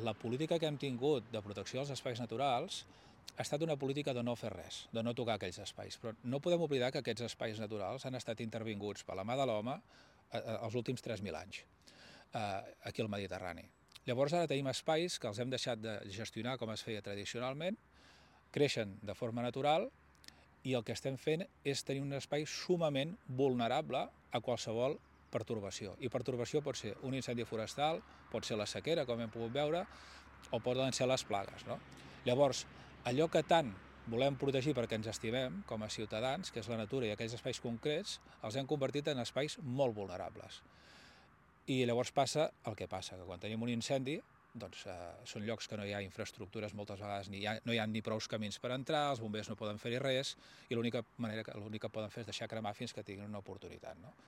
la política que hem tingut de protecció dels espais naturals ha estat una política de no fer res, de no tocar aquells espais. Però no podem oblidar que aquests espais naturals han estat intervinguts per la mà de l'home els últims 3.000 anys, aquí al Mediterrani. Llavors ara tenim espais que els hem deixat de gestionar com es feia tradicionalment, creixen de forma natural i el que estem fent és tenir un espai sumament vulnerable a qualsevol pertorbació. I pertorbació pot ser un incendi forestal, pot ser la sequera, com hem pogut veure, o poden ser les plagues, no? Llavors, allò que tant volem protegir perquè ens estimem com a ciutadans, que és la natura i aquells espais concrets, els hem convertit en espais molt vulnerables. I llavors passa el que passa, que quan tenim un incendi, doncs són llocs que no hi ha infraestructures, moltes vegades no hi ha ni prous camins per entrar, els bombers no poden fer-hi res, i l'únic que poden fer és deixar cremar fins que tinguin una oportunitat, no?